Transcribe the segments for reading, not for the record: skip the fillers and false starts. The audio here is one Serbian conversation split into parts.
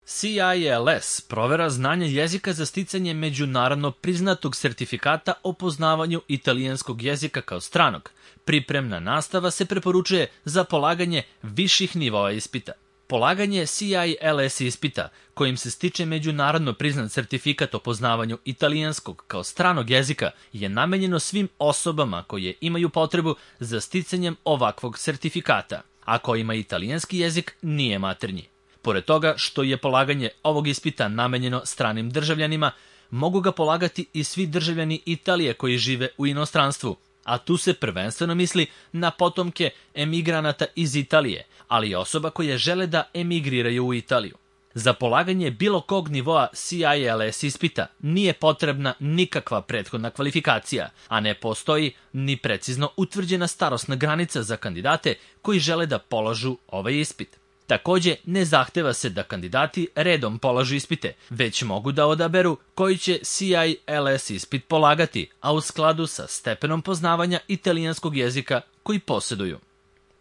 CILS provera znanja jezika za sticanje međunarodno priznatog sertifikata o poznavanju italijanskog jezika kao stranog. Pripremna nastava se preporučuje za polaganje viših nivoa ispita. Polaganje CILS ispita, kojim se stiče međunarodno priznat sertifikat o poznavanju italijanskog kao stranog jezika, je namenjeno svim osobama koje imaju potrebu za sticanjem ovakvog sertifikata, a kojima italijanski jezik nije maternji. Pored toga što je polaganje ovog ispita namenjeno stranim državljanima, mogu ga polagati i svi državljani Italije koji žive u inostranstvu, a tu se prvenstveno misli na potomke emigranata iz Italije, ali i osoba koje žele da emigriraju u Italiju. Za polaganje bilo kog nivoa CILS ispita nije potrebna nikakva prethodna kvalifikacija, a ne postoji ni precizno utvrđena starosna granica za kandidate koji žele da polažu ovaj ispit. Takođe, ne zahteva se da kandidati redom polažu ispite, već mogu da odaberu koji će CILS ispit polagati, a u skladu sa stepenom poznavanja italijanskog jezika koji posjeduju.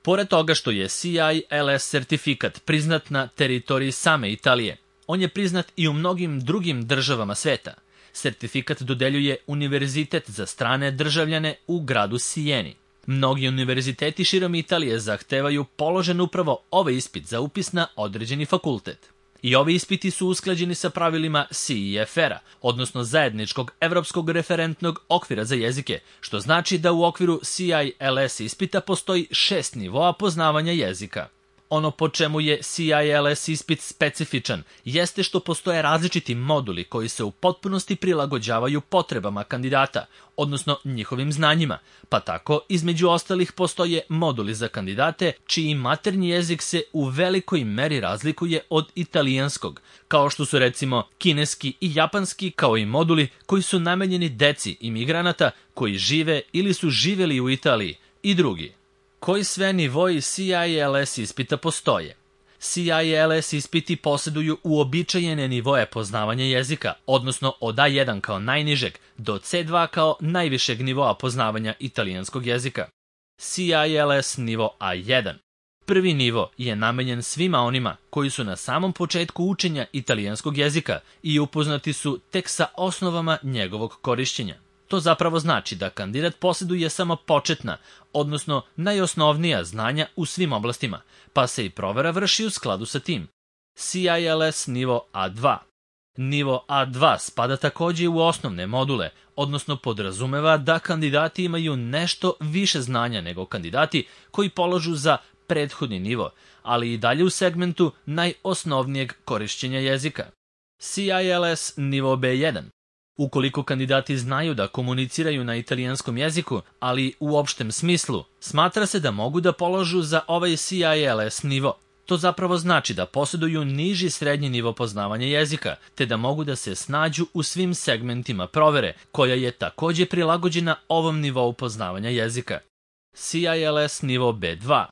Pored toga što je CILS sertifikat priznat na teritoriji same Italije, on je priznat i u mnogim drugim državama sveta. Sertifikat dodeljuje Univerzitet za strane državljane u gradu Sijeni. Mnogi univerziteti širom Italije zahtevaju položen upravo ovaj ispit za upis na određeni fakultet. I ovi ispiti su usklađeni sa pravilima CEFR-a, odnosno Zajedničkog evropskog referentnog okvira za jezike, što znači da u okviru CILS ispita postoji 6 nivoa poznavanja jezika. Ono po čemu je CILS ispit specifičan jeste što postoje različiti moduli koji se u potpunosti prilagođavaju potrebama kandidata, odnosno njihovim znanjima, pa tako između ostalih postoje moduli za kandidate čiji maternji jezik se u velikoj meri razlikuje od italijanskog, kao što su recimo kineski i japanski, kao i moduli koji su namenjeni deci imigranata koji žive ili su živjeli u Italiji i drugi. Koji sve nivoi CILS ispita postoje? CILS ispiti posjeduju uobičajene nivoe poznavanja jezika, odnosno od A1 kao najnižeg do C2 kao najvišeg nivoa poznavanja italijanskog jezika. CILS nivo A1. Prvi nivo je namenjen svima onima koji su na samom početku učenja italijanskog jezika i upoznati su tek sa osnovama njegovog korišćenja. To zapravo znači da kandidat posjeduje samo početna, odnosno najosnovnija znanja u svim oblastima, pa se i provera vrši u skladu sa tim. CILS nivo A2. Nivo A2 spada takođe u osnovne module, odnosno podrazumeva da kandidati imaju nešto više znanja nego kandidati koji polažu za prethodni nivo, ali i dalje u segmentu najosnovnijeg korišćenja jezika. CILS nivo B1. Ukoliko kandidati znaju da komuniciraju na italijanskom jeziku, ali u opštem smislu, smatra se da mogu da polažu za ovaj CILS nivo. To zapravo znači da posjeduju niži srednji nivo poznavanja jezika, te da mogu da se snađu u svim segmentima provere, koja je takođe prilagođena ovom nivou poznavanja jezika. CILS nivo B2.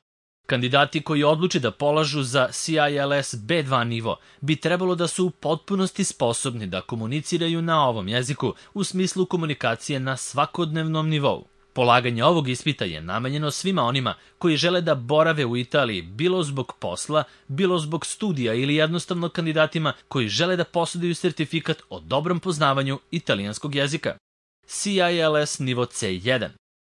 Kandidati koji odluče da polažu za CILS B2 nivo bi trebalo da su u potpunosti sposobni da komuniciraju na ovom jeziku u smislu komunikacije na svakodnevnom nivou. Polaganje ovog ispita je namenjeno svima onima koji žele da borave u Italiji bilo zbog posla, bilo zbog studija ili jednostavno kandidatima koji žele da posjeduju sertifikat o dobrom poznavanju italijanskog jezika. CILS nivo C1.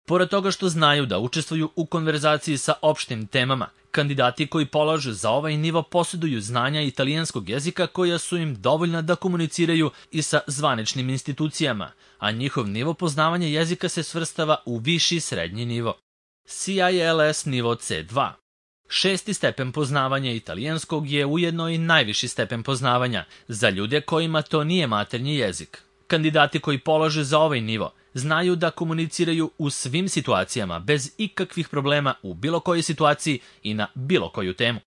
Pored toga što znaju da učestvuju u konverzaciji sa opštim temama, kandidati koji polažu za ovaj nivo posjeduju znanja italijanskog jezika koja su im dovoljna da komuniciraju i sa zvaničnim institucijama, a njihov nivo poznavanja jezika se svrstava u viši srednji nivo. CILS nivo C2. 6. stepen poznavanja italijanskog je ujedno i najviši stepen poznavanja za ljude kojima to nije maternji jezik. Kandidati koji polažu za ovaj nivo znaju da komuniciraju u svim situacijama bez ikakvih problema u bilo kojoj situaciji i na bilo koju temu.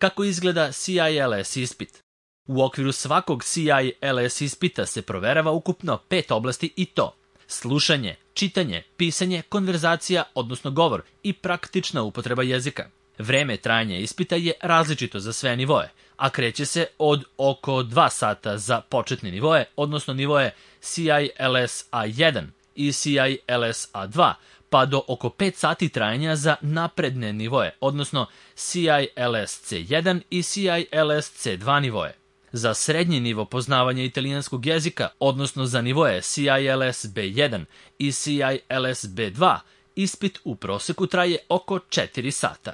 Kako izgleda CILS ispit? U okviru svakog CILS ispita se proverava ukupno 5 oblasti i to: slušanje, čitanje, pisanje, konverzacija, odnosno govor i praktična upotreba jezika. Vreme trajanja ispita je različito za sve nivoe, a kreće se od oko 2 sata za početne nivoe, odnosno nivoe CILS A1 i CILS A2, pa do oko 5 sati trajanja za napredne nivoe, odnosno CILS C1 i CILS C2 nivoe. Za srednji nivo poznavanja italijanskog jezika, odnosno za nivoe CILS B1 i CILS B2, ispit u proseku traje oko 4 sata.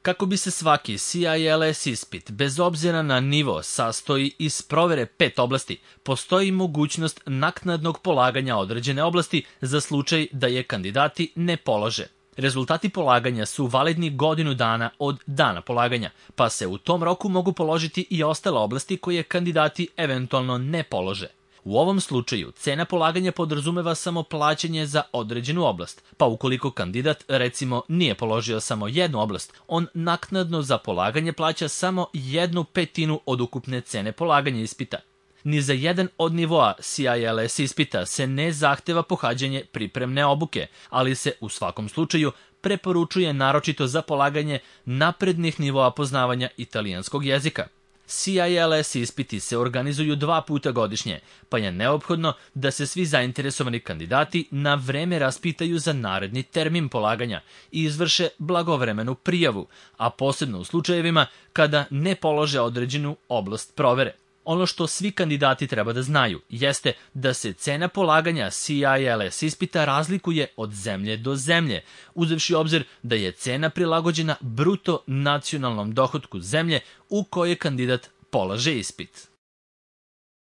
Kako bi se svaki CILS ispit, bez obzira na nivo, sastoji iz provere 5 oblasti, postoji mogućnost naknadnog polaganja određene oblasti za slučaj da je kandidati ne polože. Rezultati polaganja su validni godinu dana od dana polaganja, pa se u tom roku mogu položiti i ostale oblasti koje kandidati eventualno ne polože. U ovom slučaju, cena polaganja podrazumeva samo plaćanje za određenu oblast, pa ukoliko kandidat, recimo, nije položio samo jednu oblast, on naknadno za polaganje plaća samo 1/5 od ukupne cene polaganja ispita. Ni za jedan od nivoa CILS ispita se ne zahteva pohađanje pripremne obuke, ali se u svakom slučaju preporučuje naročito za polaganje naprednih nivoa poznavanja italijanskog jezika. CILS ispiti se organizuju 2 puta godišnje, pa je neophodno da se svi zainteresovani kandidati na vreme raspitaju za naredni termin polaganja i izvrše blagovremenu prijavu, a posebno u slučajevima kada ne polože određenu oblast provere. Ono što svi kandidati treba da znaju jeste da se cena polaganja CILS ispita razlikuje od zemlje do zemlje, uzevši obzir da je cena prilagođena bruto nacionalnom dohotku zemlje u kojoj kandidat polaže ispit.